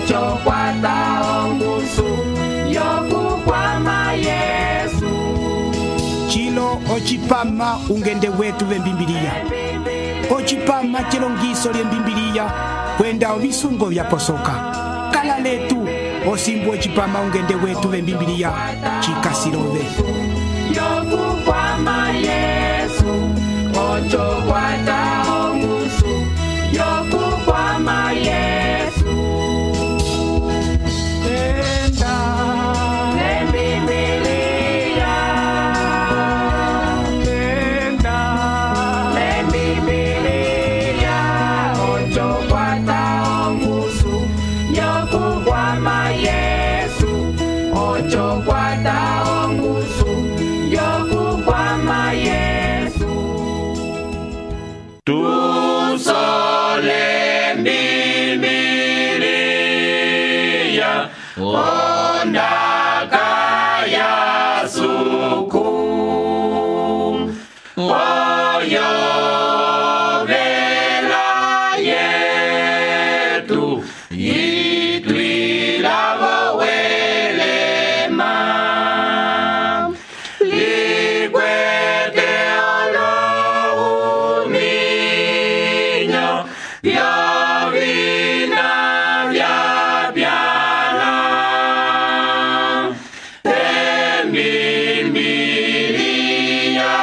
ocho kwata ongusu yokukwama Yesu. Chilo ochipama ungende wetu vembimbiliya. Ochipama chilongiso lyembimbiliya kwenda ovisungo vyaposoka. Kala letu osimbu ochipama ungende wetu vembimbiliya chikasilove. Yokukwama Yesu, ocho kwata ongusu yokukwama Yesu. Tenda lembimbiliya, tenda lembimbiliya, ocho kwata ongusu yokukwama Yesu, ocho kwata ongusu yokukwama Yesu. Tusole mbimbiliya, ondaka ya suku, oyo vela yetu, itwilavo welema, likwete olohuminyo, vyovina vyapyala, embimbiliya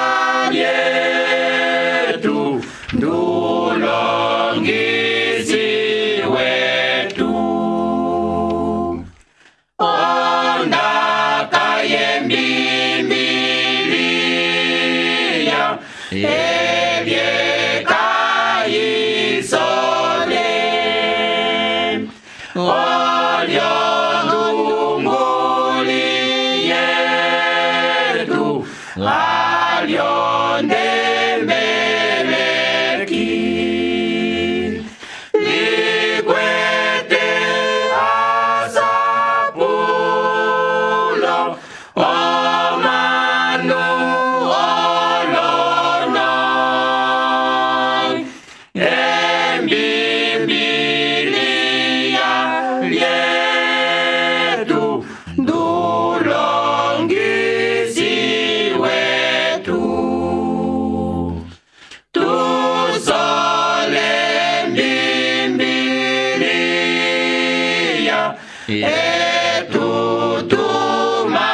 yetu, ndulongisi wetu. Ondaka yembimbiliya, evyekayisole, olyondunguli yetu, alyondembeleki, likwete asapulo, omanu olono, embimbiliya yetu, ndulongisi wetu. Tusole mbimbiliya, etu tumalava,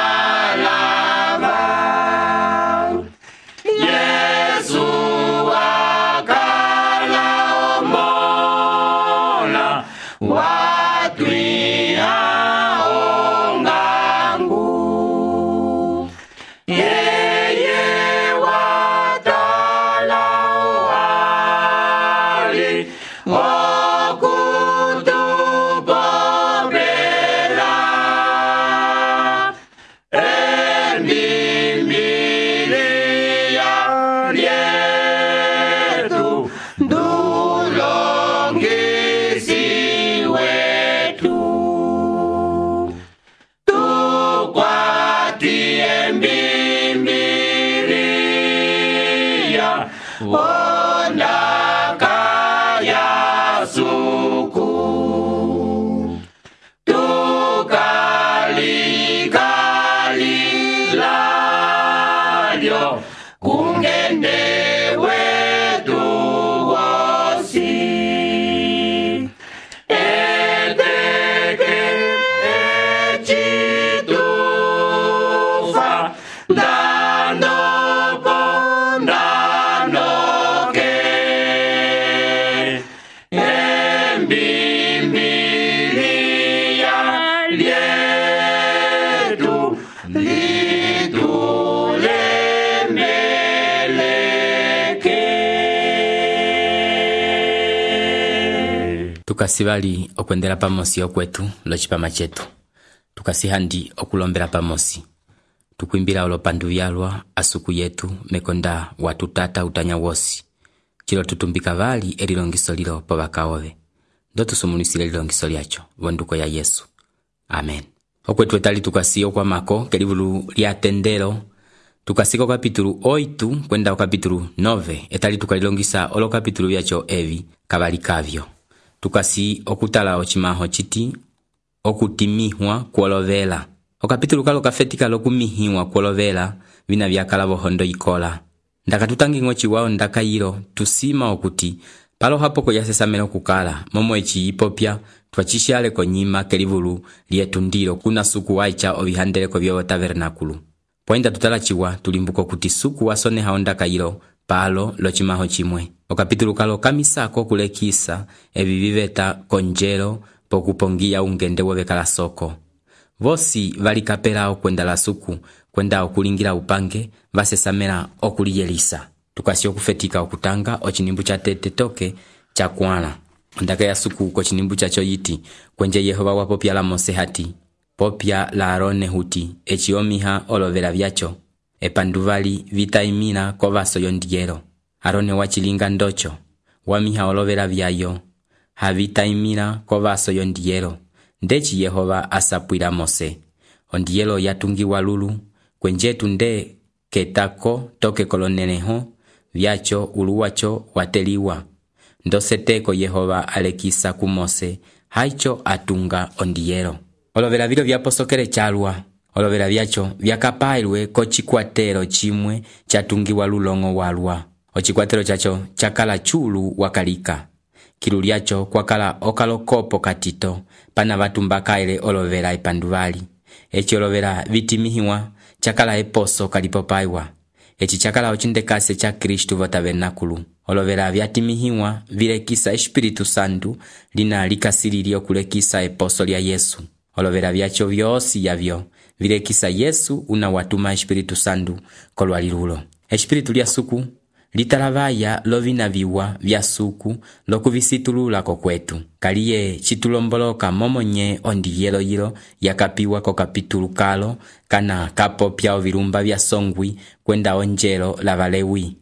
Yesu akala omola, watwiha ongangu, yeye watala wali okutupopela, embimbiliya lyetu, ndulongisi wetu. Tukwati embimbiliya, ondaka ya suku, tukalikalilyo, kungende wetu wosi, eteke echitufa, ndanopo ndanoke, embimbiliya lyetu, litulemeleke. Tukasivali okwendela pamosi okwetu locipama chetu, tukasihandi okulombela pamosi, tukwimbila olopandu vyalwa asuku yetu mekonda watutata utanya wosi, chilo tutumbika vali elilongiso lilo po bakaove, ndo tusumunisile lilongiso lyacho vonduko ya Yesu. Amen. Okwetu etali tukasi okwamako kelivulu lya tendelo, tukasika kapitulu 8 kwenda kapitulu 9, etali tukalilongisa olo kapitulu vyacho evi kabali kavyo. Tukasi okutala ochimaho chiti okutimihwa kwolovela. Okapitulu kalo kafetika lokumihwa kwolovela vina vyakala vohondo ikola. Ndaka tutangi chiwawo ndaka yilo tusima okuti palo hapoko yasesamela okukala momo eci yipopya twachishale konyima kelivulu lietu ndilo kuna suku waicha ovihandeleko vyovo tabernakulu. Poinda tutalachiwa tulimbuko kuti suku wasoneha ondaka yilo palo lochimaho chimwe. Okapitulu kalo kamisako kulekisa evi viveta konjelo pokupongia ungende wovekala soko. Vosi valikapela okwenda la suku kwenda okulingira upange vasesamela okuliyelisa. Tukasi okufetika okutanga ochinimbu cha tete toke cha kwana. Ondaka ya suku ko chinimbu cha choyiti kwenje Yehova wapopya la Mose hati popya la Arone huti echiomiha olovela vyacho epanduvali vitaimina kovaso yondiyelo. Arone wachilinga ndocho wamiha olovela vyayo havitaimina kovaso yondiyelo. Ndechi Yehova asapwila Mose ondiyelo yatungiwa lulu kwenjetu nde ketako toke koloneneho vyacho uluwacho wateliwa. Ndoseteko Yehova alekisa ku Mose haicho atunga ondiyelo. Olovela vilo vyaposokele chalwa. Olovela vyacho vyakapailwe ko chikwatelo chimwe chatungiwa lulongo walwa. Ochikwatelo chacho chakala chulu wakalika. Kilu lyacho kwakala okalokopo katito pana vatumbakaile olovela epanduvali. Echi olovela vitimihiwa chakala eposo kalipopaiwa. Echi chakala ochindekase cha Kristu vo tabernakulu. Olovela vyatimihiwa vilekisa Espiritu Santu lina likasilirio kulekisa eposo lya Yesu. Olovela vyacho vyosi yavyo vilekisa Yesu una watuma Espiritu Santu kolwalilulo. Espiritu lya suku litalavaya lovina viwa vya suku lokuvisitulula kokwetu. Kaliye chitulomboloka momonye ondiyelo yilo yakapiwa ko kapitulu kalo kana kapopya ovilumba vya songwi kwenda onjelo la Valewi.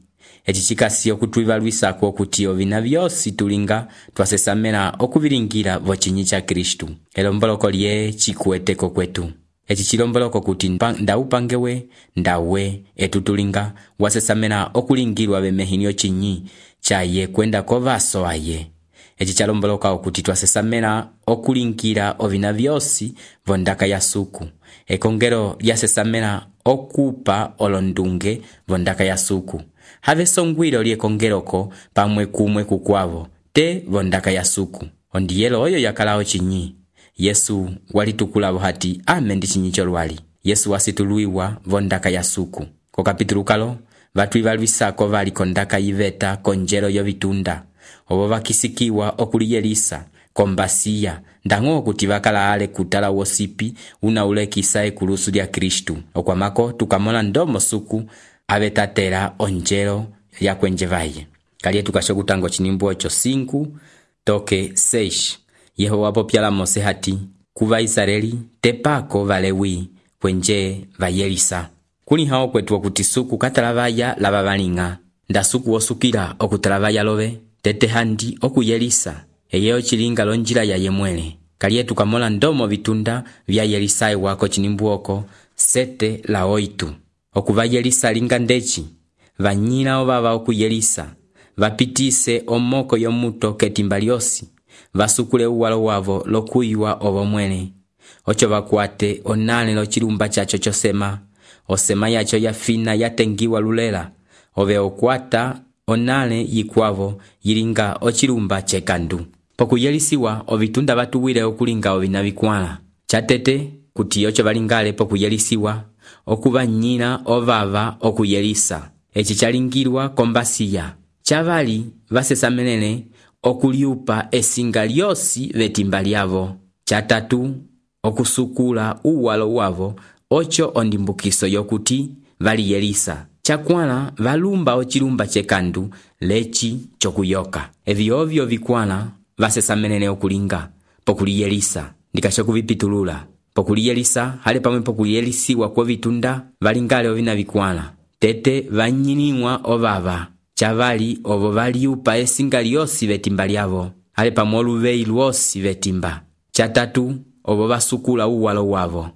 Echi chikasi okutwivalwisa kwa kuti ovina vyosi tulinga twasesamela okuvilingira vochinyi cha Kristu. Elomboloko lye chikueteko kwetu. Echi chilomboloko kuti ndaupangewe ndawe etutulinga wasesamela okulingirwa vemehinyo chinyi chaye kwenda kovaso aye. Echi chalomboloka okuti twasesamela okulingira ovina vyosi vondaka ya suku. Ekongero lyasesamela okupa olondunge vondaka ya suku. Have songwilo liekongeroko pamwe kumwe kukwavo te vondaka ya suku. Ondiyelo oyo yakalao chinyi. Yesu walitukula hati ame ndi chinyi cholwali. Yesu wasituluiwa vondaka ya suku. Ko kapitulu kalo vatwivalwisako vali kondaka yiveta konjelo yovitunda. Ovo vakisikiwa okuliyelisa kombasiya ndango kuti vakala ale kutala wosipi una ulekisa ekulusu lya Kristu. Okwamako tukamona ndomo suku avetatela onjelo ya kwenje vaye. Kaliye tukashokutango chinimbu ocho 5 toke 6. Yehova popya la Mose hati kuva Israeli tepako Valewi kwenje vayelisa. Kuli hao kwetu okuti suku katalavaya lava valinga. Nda suku osukila okutalavaya love tete handi okuyelisa. Eyeyo chilinga lonjila ya yemwele. Kaliye tukamola ndomo vitunda vya yelisai wako chinimbu oko 7 la 8. Okuvayelisa linga ndechi vanyina ovava okuyelisa vapitise omoko yomuto ketimbaliosi vasukule uwalo wavo lokuywa ovo mwene. Ocho vakwate onale lo chilumba chacho chosema osema yacho yafina yatengiwa lulela ove okwata onale yikwavo yilinga ochilumba chekandu. Pokuyelisiwa ovitunda vatuwile okulinga ovina vikwala. Chatete kuti ocho valingale pokuyelisiwa okuva nyina ovava okuyelisa. Echi chalingirwa kombasiya. Chavali vasesamelele okuliupa esinga lyosi vetimba lyavo. Chatatu okusukula uwalo wavo ocho ondimbukiso yokuti valiyelisa. Chakwala valumba ochilumba chekandu lechi chokuyoka. Evi ovyo vikwala vasesamelele okulinga pokuliyelisa. Ndikashokuvipitulula. Pokuliyelisa hale pamwe pokuliyelisiwa kwa vitunda valingale ovina vikwala. Tete vanyiniwa ovava. Chavali ovo valiupa esinga lyosi vetimba lyavo. Hale pamwe oluvei lwosi vetimba. Chatatu ovo vasukula uwalo wavo.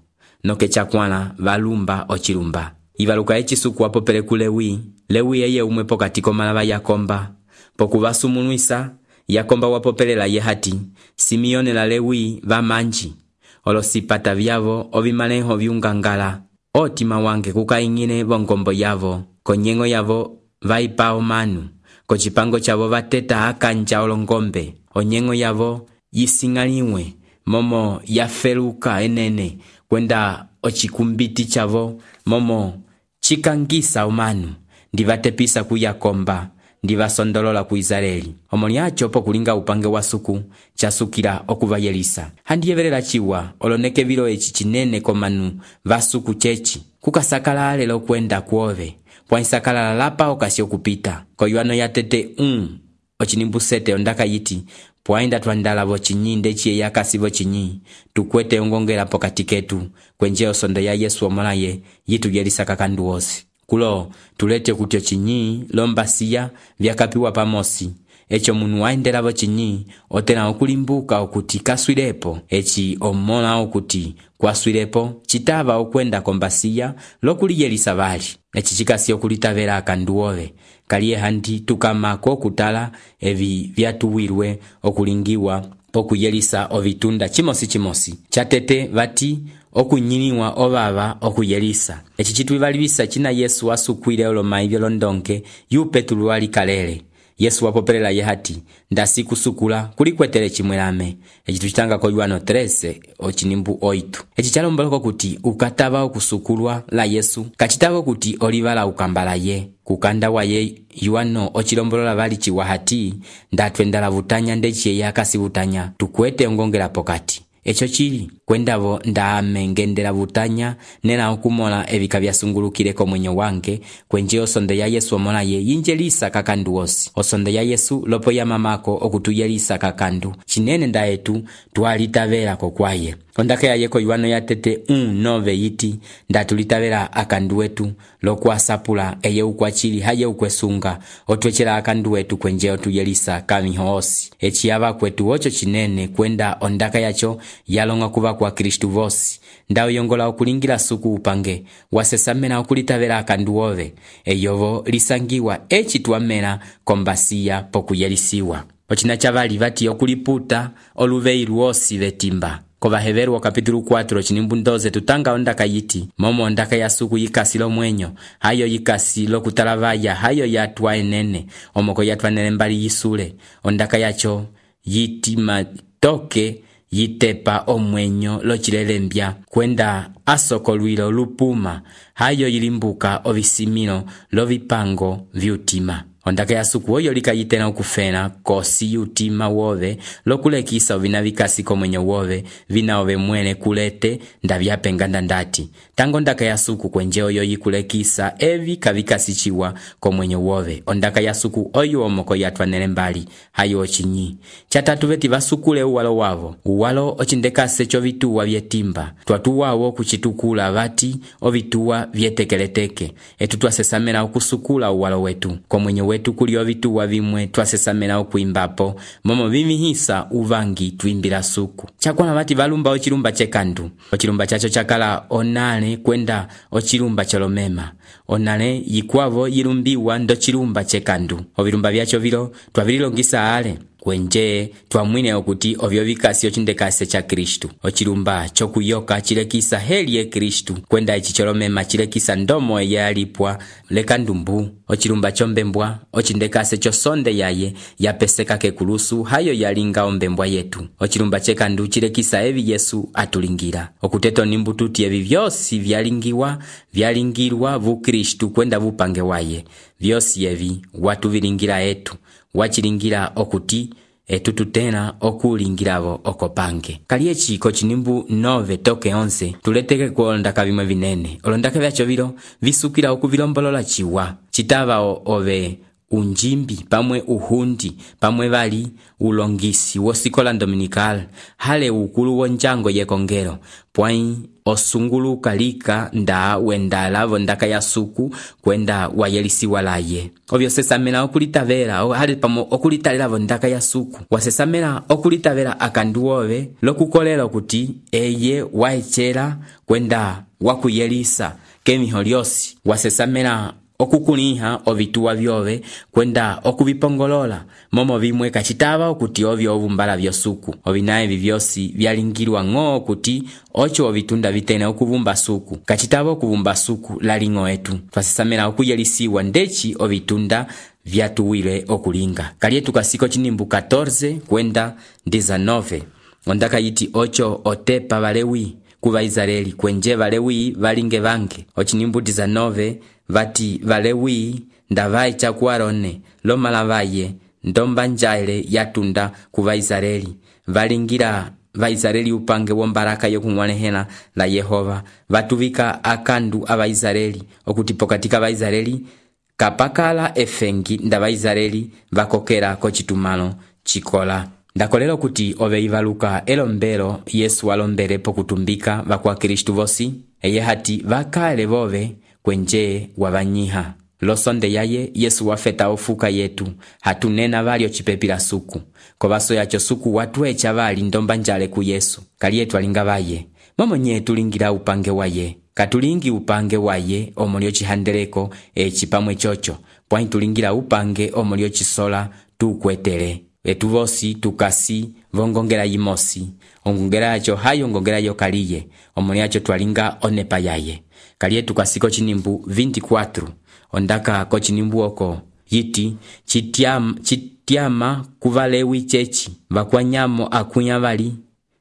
Noke chakwala valumba ochilumba. Ivaluka echisuku wapopele ku Lewi. Lewi eye umwe pokati komalava Yakomba. Pokuvasumunuisa Yakomba wapopelela ye hati Simeone la Lewi vamanji. olosipata vyavo ovimaleho viungangala. Otima wange kukaing'ine vongombo yavo, konyengo yavo vaipa omanu, kocipango chavo vateta akanja olongombe, onyengo yavo yising'aliwe, momo yafeluka enene, kwenda ocikumbiti chavo momo chikangisa omanu, ndivatepisa kuyakomba, ndivasondolola ku Israeli. Omoni acho pokulinga upange wa suku, chasukila okuvayelisa. Handiyevelela chiwa, oloneke vilo echi chinene komanu vasuku chechi, kukasakala lelo kwenda kuove, pwaisakala lapa okasi okupita. Koyuano ya tete ochinimbusete ondaka yiti, pwainda twandala vochinyi ndechiye yakasi vochinyi, tukwete ongongela pokati ketu, kwenje osondo ya Yesu omolaye, yitu yelisa kakandu osi. Kulo, tulete kutyo chinyi, lombasiya, vyakapiwa pamosi. Echo munu waindela vochinyi, otena okulimbuka okuti kaswilepo. Echi omola okuti kwaswilepo, chitava okwenda kombasiya, lokuli yelisa vali. Echi chikasi okulitavela akanduove, kaliye handi tukamako kutala evi vyatuwirwe okulingiwa pokuyelisa ovitunda chimosi. Chatete vati okunyiniwa ovava okuyelisa. Echi chituivalivisa china Yesu wasukwile olomai vyolondonke, yu Petulu wali kalele. Yesu wapopelela yehati, ndasi kusukula kulikwetele chimwelame. Echi tuchitanga ko Yohano 13 ochinimbu 8. Echi chalomboloko kuti ukatava okusukulwa la Yesu, kachitava kuti olivala ukambala ye. Kukanda wa ye Yohano ochilombolola vali chiwahati, ndatwendala vutanya ndechiye yakasi vutanya, tukwete ongongela pokati. Echo chili, kwendavo ndaame ngendela vutanya, nena okumola evika vyasungulukileko mwenyo wange, kwenje osondo ya Yesu omolaye yinjelisa kakandu osi. Osondo ya Yesu lopo ya mamako okutuyelisa kakandu, chinene ndaetu tualitavela kokwaye. Ondake ya yeko Yohano ya tete 1:9 yiti, ndatulitavela akandu wetu, lokuasapula eye ukwachili haye ukwesunga, otwechela akandu wetu kwenje otuyelisa kamiho osi. Echi yava kwetu ocho chinene kwenda ondaka yacho yalonga kuva kwa Kristu vosi. Ndao yongola okulingira suku upange, wasesamena okulitavela akandu ove, eyovo lisangiwa echi tuamela kombasiya pokuyelisiwa. Ochina chavali vati okuliputa oluveiru osi vetimba. Kovaheveru kapitulu 4 chinimbu 12 tutanga ondaka yiti, momo ondaka ya suku yikasi lo mwenyo, hayo yikasi lo kutalavaya, hayo yatwa enene, omoko yatwa nene mbali yisule. Ondaka yacho yiti matoke yitepa omwenyo lo chilelembya, kwenda asokolwilo lupuma, hayo yilimbuka ovisimino lo vipango vyutima. Ondaka ya suku oyo likayitena ukufena kosi yutima wove, lokulekisa ovina vikasi komwenyo wove, vina ove mwene kulete ndavyapenga ndandati. Tango ondaka ya suku kwenje oyo yikulekisa evi kavikasi chiwa komwenyo wove. Ondaka ya suku oyo omoko yatwa nele mbali, hayo ochinyi. Chatatu veti vasukule uwalo wavo. Uwalo ochindekase cho vituwa vyetimba. Twatuwawo kuchitukula vati ovituwa vyetekeleteke. Etu twasesamela okusukula uwalo wetu. Komwenyo wetu kuli ovituwa vimwe twasesamela okuimbapo, momo vimihisa uvangi tuimbila suku. Chakwana vati valumba ochilumba chekandu. Ochilumba chacho chakala onale kwenda ochilumba cholomema. Onale yikwavo yilumbiwa ndo chilumba chekandu. Ovilumba vyacho vilo twavililongisa ale. Kwenje twamwine okuti ovyo vikasi ochindekase cha Kristu. Ochilumba chokuyoka chilekisa heli ye Kristu, kwenda ichicholomema chilekisa ndomo yalipwa lekandumbu. Ochilumba chombembwa ochindekase chosonde yaye yapeseka kekulusu, hayo yalinga ombembwa yetu. Ochilumba chekandu chilekisa evi Yesu atulingira. Okuteto nimbututi evi vyosi vyalingirwa vu Kristu kwenda vupange waye. Vyosi evi watu vilingira etu, wachilingira okuti etu tutena okulingiravo okopange. Kaliechi kochinimbu 9 toke 11 tuleteke kuolondaka vimwe vinene. Olondaka vyacho vilo visukila okuvilombolola chiwa. Chitava ove unjimbi, pamwe uhundi, pamwe vali ulongisi wosikola dominical, hale ukulu wonjango yekongelo, pwai osunguluka lika nda wenda lavo ndaka ya suku kwenda wayelisiwa laye. Ovyo sesamela okulitavela, hale pamo okulitalela ndaka ya suku. Wasesamela okulitavela akanduove, lokukolela kuti eye waechela kwenda wakuyelisa kemiho lyosi. Wasesamela okukuliha ovituwa vyove kwenda okuvipongolola momo vimwe kacitava okuti ovyo ovumbala vyosuku. Ovina evi vyosi vyalingilwa ng'o okuti ocho ovitunda vitene okuvumba suku. Kacitava okuvumba suku laling'o etu twasesamela okuyelisiwa ndeci ovitunda vyatuwile okulinga. Kalietu kasiko cinimbu 14 kwenda 19 ondaka yiti ocho otepa Valewi kuva Israeli kwenje Valewi valinge vange. Ocinimbu 19 vati Valewi ndavai chaku Arone lomala vaye ndomba njaile yatunda kuva Israeli valingira Vaisraeli upange wombaraka yokung'wanehela la Yehova vatuvika akandu Avaisraeli okuti pokatika Vaisraeli kapakala efengi nda Vaisraeli vakokera kocitumalo chikola. Ndakolela kuti ove ivaluka elombelo Yesu alombele pokutumbika vakwa Kristu vosi eye hati vakale vove kwenje wavanyiha. Losonde yaye Yesu wafeta ofuka yetu hatunena vali ocipepila suku kovaso yacho suku watu echa vali ndomba njale ku Yesu kalietu alinga vaye momo nye tulingira upange waye katulingi upange waye omulio chihandeleko eci pamwe chocho pwani tulingira upange omulio chisola tukwetele etu vosi tukasi vongongela yimosi ongongela yacho hayo ngongela yo kaliye omulio yacho twalinga onepa yaye kalietu kasiko cinimbu 24 ondaka kocinimbu oko yiti chitiama kuvalewi chechi vakwanyamo akunya vali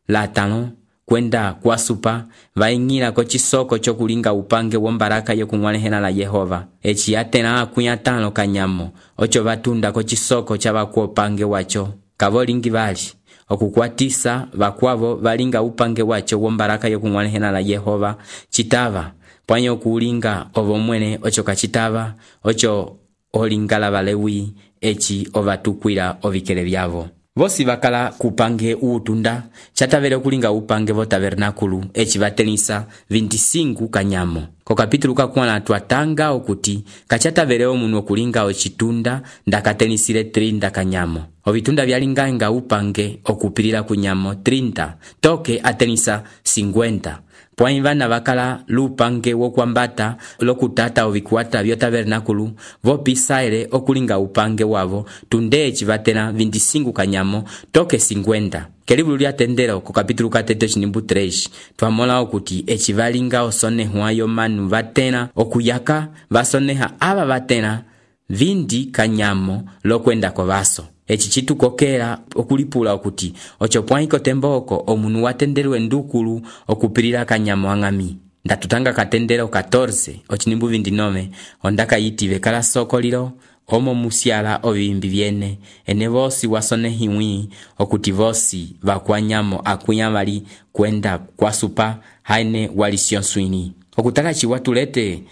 latano kwenda kwasupa vaing'ila kocisoko chokulinga upange wombaraka yokung'wanehela la Yehova eci atena akunya 5 kanyamo ocho vatunda kocisoko cha vakwa upange wacho kavolingi vali okukwatisa vakwavo valinga upange wacho wombaraka yokung'wanehela la Yehova chitava pwanyo kulinga ovo mwene ocho kachitava ocho olingala Valewi eci ovatukwila ovikele vyavo vosi vakala kupange uutunda chatavele okulinga upange vo tabernakulu eci vatelisa 25 kanyamo. Ko kapitulu kakwana twatanga okuti kachatavele omunu okulinga ocitunda ndakatelisile 30 kanyamo. Ovitunda vyalinga upange okupilila kunyamo 30 toke atelisa 50. Pwani vana vakala lupange wokwambata lokutata ovikuata vyo tabernakulu vopisaile okulinga upange wavo tundechi vatena 25 kanyamo toke 50. Kelibulu lyatendelo ku kapitulu katete cinimbu 3 twamola okuti eci valinga osonehwa yo manu vatena okuyaka vasoneha ava vatena 20 kanyamo lokwenda ko vaso. Eci chitukokera okulipula okuti ocho pwaiko temboko omunu watendelwe ndukulu okupilila kanyamo ang'ami. Ndatutanga katendelo 14 ocinimbu 29 ondaka yiti vekala sokolilo omo musiala ovimbi vyene ene vosi wasonehimwi okuti vosi vakwanyamo akunya vali kwenda kwasupa haine walisyonswini okutaka chiwatulete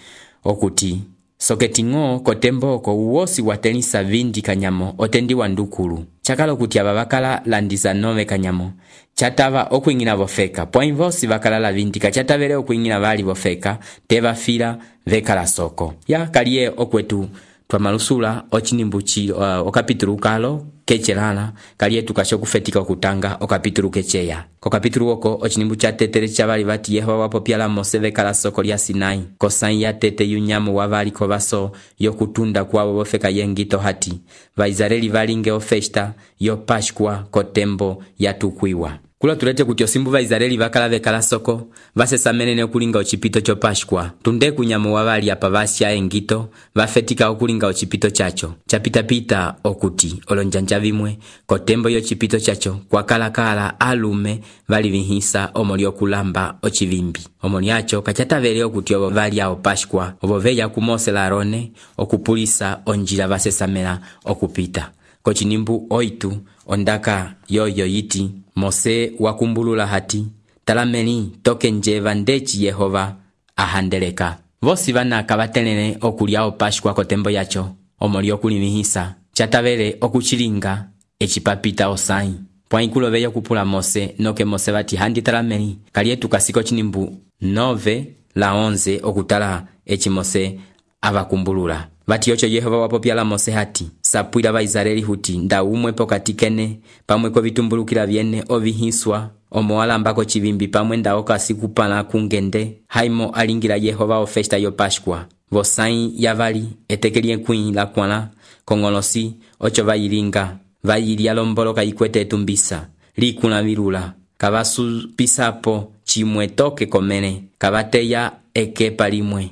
okuti soketing'o kotemboko uwosi watelisa 20 kanyamo otendiwa ndukulu chakala okuti aba bakala landisa 9 kanyamo chatava okuing'ina vofeka pwani vosi bakala la 20 kachatavele okuing'ina vali vofeka teva fila vekala soko ya kalie okwetu twamalusula ocinimbuchi okapitulu kalo kechelala kalie tukasho kufetika okutanga okapitulu kecheya ko kapitulu oko ocinimbu cha tetere chavali vati Yehova wapopyala Mose vekala soko lya Sinai kosai ya tete yunyamo wavali ko vaso yokutunda kwavo vofeka yengito hati Vaisraeli valinge ofesta yo Pashkwa kotembo yatukwiwa kula tulete kuti osimbu Vaisraeli vakala vekala soko vasesamenene okulinga ocipito cho Pashkwa tunde kunyamo wavali apa vasya engito vafetika okulinga ocipito chacho chapitapita okuti olonjanja vimwe kotembo yo cipito chacho kwakalakala alume vali vihisa omoli okulamba ocivimbi omoli acho kachatavele okuti ovo vali ao Pashkwa ovo veya ku Mose la Arone okupulisa onjila vasesamela okupita kocinimbu 8 ondaka yoyo yiti Mose wakumbulula hati talameni toke njeva ndeci Yehova ahandeleka vosi vana kavatelene okuliao Pashkwa kotembo yacho omoli okulimihisa chatavele okuchilinga ecipapita osai pwaikulo veyo kupula Mose noke Mose vati handi talameni kalietu kasiko cinimbu 9 la 11 okutala eci Mose avakumbulula vati ocho Yehova wapopyala Mose hati sapwila Vaisraeli huti nda umwe pokatikene pamwe ko vitumbulukila vyene ovihiswa omoalambako chivimbi pamwe nda okasikupana kungende haimo alingira Yehova ofesta yo Pashkwa vosãyi yavali eteke lyekwĩ lakwãla k'oñgolosi oco vayilinga vayilya lomboloka ikwete etumbisa likũla vilula kavasupisapo cimwe toke komene kavateya ekepa limwe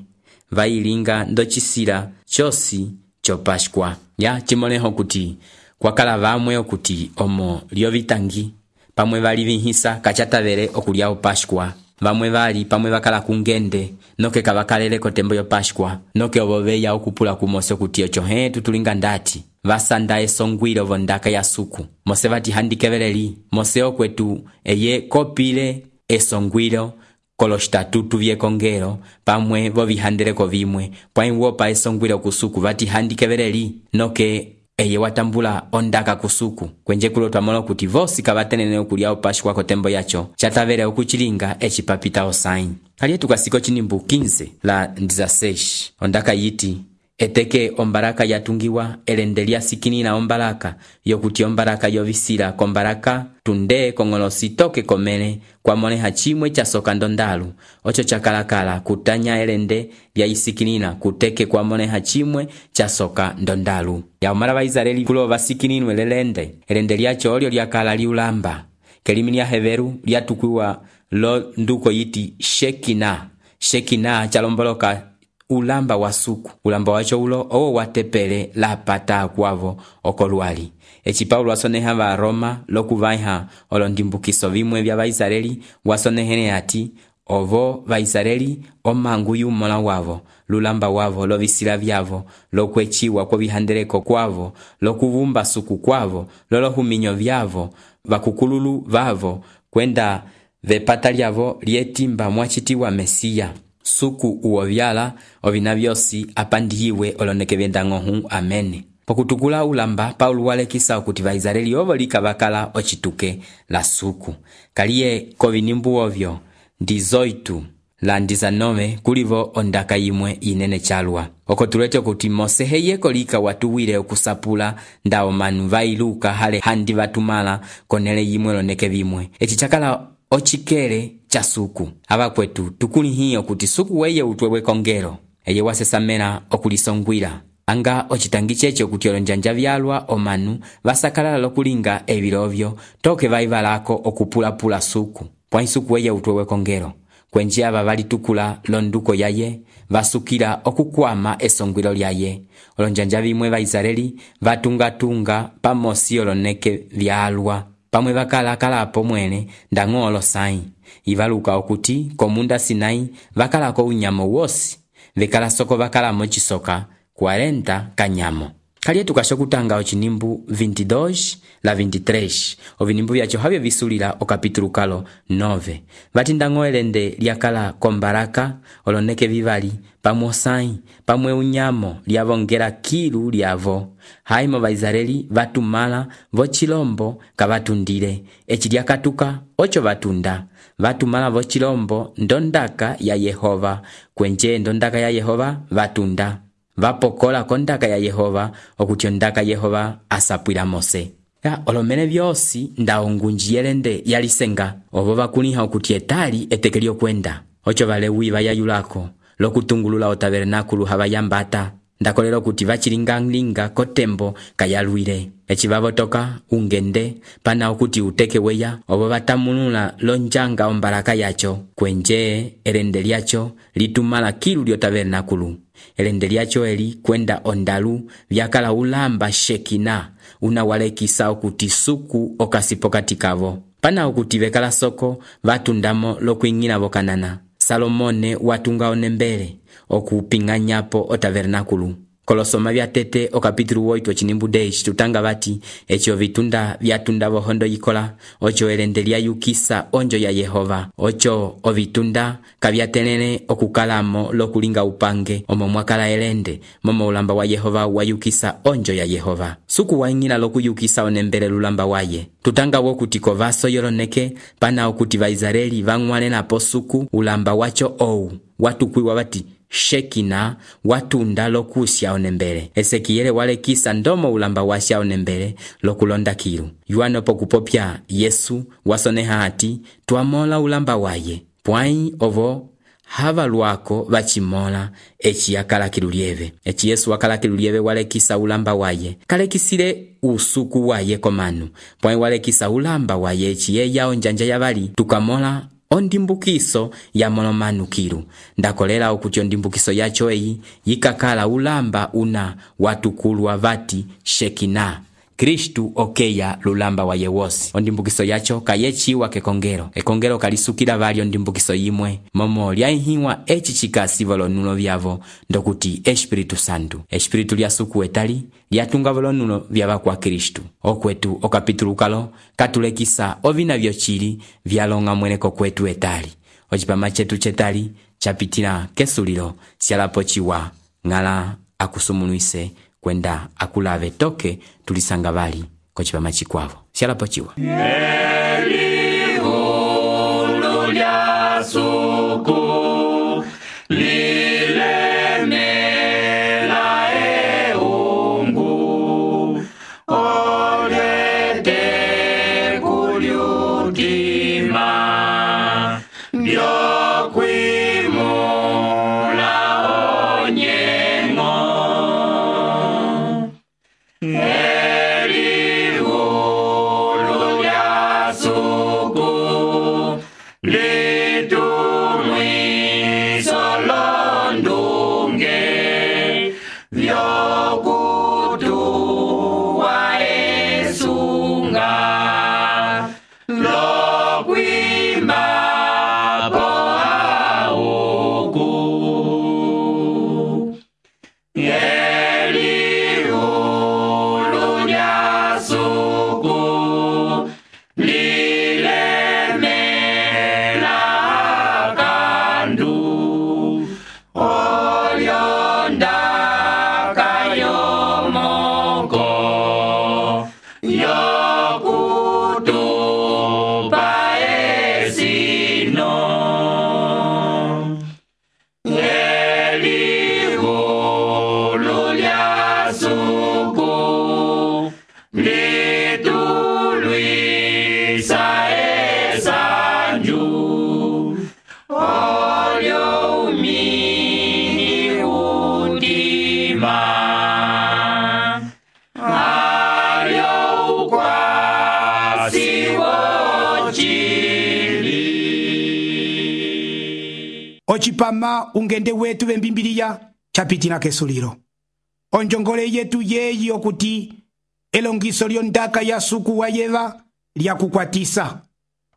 vayilinga ndocisila cosi co Páscoa ya cimõleho kuti kwakala vamwe okuti omo lyovitangi pamwe vali vihisa kacatavele okulya o Páscoa vamwe vali pamwe vakala kungende noke kavakalele kotembo yo Páscoa noke ovo veya okupula kumosi okuti oco tutulinga ndati vasanda esongwile ovo ndaka ya suku mose vatihandikeveleli mose okwetu eye kopile esongwilo kolostatutu vyekongelo pamwe vovihandeleko vimwe pwai wopa esongwilo kusuku vatihandikeveleli noke eye watambula ondaka kusuku kwenje kulo twamola kuti vosi kavatenene okulya o Páscoa kotembo yacho catavele okucilinga ecipapita osãyi kaliye tukasiko cinimbu 15 la 16 ondaka yiti eteke ombaraka yatungiwa elende lyasikinina ombaraka yokuti ombaraka yovisila kombaraka tunde kong'olosi toke komene kwamoleha cimwe casoka ndondalu oco cakalakala kutanya elende lyayisikinina kuteke kwamoleha cimwe casoka ndondalu yaumala vaisraeli kulo vasikininwe elende lyaco olyo lyakala liulamba kelimi lya heveru lyatukwiwa lo nduko yiti shekina calomboloka ulamba wa suku ulamba wacho ulo owo watepele lapata akwavo okolwali eci Paulo wasoneha va Roma lokuvaiha olondimbukiso vimwe vya vaisraeli wasonehene ati ovo vaisraeli omangu yumola wavo lulamba wavo lovisila vyavo lokweciwa kwovihandeleko kwavo lokuvumba suku kwavo lolohuminyo vyavo vakukululu vavo kwenda vepata lyavo lyetimba mwacitiwa Mesiya suku uovyala ovina vyosi apandiyiwe oloneke vyendang'ohu amene pokutukula ulamba Paulo walekisa okuti vaisraeli ovo likavakala ocituke la suku kaliye kovinimbu ovyo ndizoitu la 19 kulivo ondaka yimwe inene calwa oko tulete okuti mose heyeko lika watuwile okusapula nda omanu vailuka hale handi vatumala konele yimwe loneke vimwe eci cakala ocikele ca suku avakwetu tukulihiyo kuti suku weye utwewe kongelo eye wasesamela okulisongwila anga ocitangi cece okuti olonjanja vyalwa omanu vasakalala lokulinga evilovyo toke vaivalako okupulapula suku pwai suku weye utwewe kongelo kwenji ava valitukula londuko yaye vasukila okukwama esongwilo lyaye olonjanja vimwe vaisraeli vatungatunga pamosi oloneke vyalwa pamwe vakalakalapo mwene ndang'olo sayi ivaluka okuti komunda Sinai vakalako unyamo wosi vekalasoko vakalamo cisoka 40 kanyamo kaliye tukasho kutanga ocinimbu 22 la 23 ovinimbu vyaco havyo visulila okapitulu kalo 9 vatindang'o elende lyakala kombaraka oloneke vivali pamwe osãyi pamwe unyamo lyavongela kilu lyavo haimo vaisraeli vatumala vocilombo kavatundile eci lyakatuka oco vatunda vatumala vocilombo ndondaka ya Yehova kwenje ndondaka ya Yehova vatunda vapokola kondaka ya Yehova okuti ondaka Yehova asapwila Mose olomene vyosi nda ongunji yelende yalisenga ovo vakuliha okuti etali eteke lyokwenda oco valewi vayayulako lokutungulula otabernakulu havayambata ndakolera okuti vacilingalinga kotembo kayalwile eci vavotoka ungende pana okuti uteke weya ovo vatamulula lonjanga ombaraka yaco kwenje elende lyaco litumala kilu lyotabernakulu elende lyaco eli kwenda ondalu vyakala ulamba Shekina unawalekisa okuti suku okasipo katikavo pana okuti vekala soko vatundamo lokuing'ila vokanana Salomone watunga onembele okuping'anyapo otabernakulu kolosoma vyatete okapitulu 8 ocinimbu 10 tutanga vati ecio vitunda vyatunda vohondo yikola oco elende lyayukisa onjo ya Yehova oco ovitunda kavyatelele okukalamo lokulinga upange omo mwakala elende momo ulamba wa Yehova wayukisa onjo ya Yehova suku waing'ila lokuyukisa onembele lulamba waye tutanga wokuti kovaso yoloneke pana okuti vaisraeli vang'walenapo suku ulamba waco ou watukwiwa vati Shekina watunda lokusya onembele Esekiyele walekisa ndomo ulamba wasya onembele lokulonda kilu yuano pokupopya Yesu wasoneha ati twamola ulamba waye pwai ovo hava lwako vacimola eci yakalaki lieve. Eci Yesu wakalaki lieve walekisa ulamba waye, kalekisile usuku waye komanu, pwai walekisa ulamba waye eci yeya onjanja yavali tukamola ondimbukiso ya molomanukilu. Ndakolela okuti ondimbukiso yacho eyi yikakala ulamba una watukulwa vati Shekina. Kristu okeya lulamba waye wosi. Ondimbukiso yacho kayechiwa kekongelo. Ekongelo kalisukila vali ondimbukiso yimwe. Momo lyaihiwa eci chikasi volonulo vyavo ndokuti Espiritu Santu. Espiritu lyasuku etali lyatunga volonulo vyava kwa Kristu. Okwetu okapitulukalo katulekisa ovina vyochili vyalonga mweneko kwetu etali. Ochipama chetu chetali chapitila kesulilo syalapo chiwa ngala akusumunuise kwenda akulave toke tulisanga vali kochipama chikwavo syalapo chiwa. Elihulu lya suku lilemela eungu olete kulyutima byokwimula onyengo. Elihulu lya suku litumwiso londunge vyokutuwa esunga lokwimba po auku. Elihulu lya suku lilemela kandu olyonda kayomoko yokutupa esino. Elihulu lya suku litulwisa esanju olyo umini utima alyo ukwasi wochili. Ochipama ungende wetu vembimbiliya chapitila kesulilo. Onjongole yetu yeyi okuti elongiso lyondaka ya suku wayeva lyakukwatisa.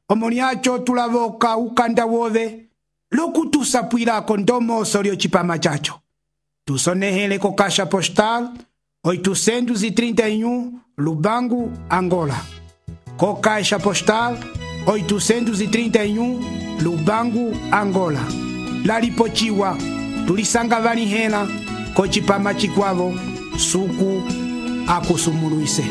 Omo lyacho tulavoka ukanda wove lokutusapwilako ndomoso lyochipama chacho. Tusonehele ko Caixa Postal 831 Lubangu, Angola. Ko Caixa Postal 831 Lubangu, Angola. Lalipochiwa tulisanga vanihela kochipama chikwavo suku akusumuluise.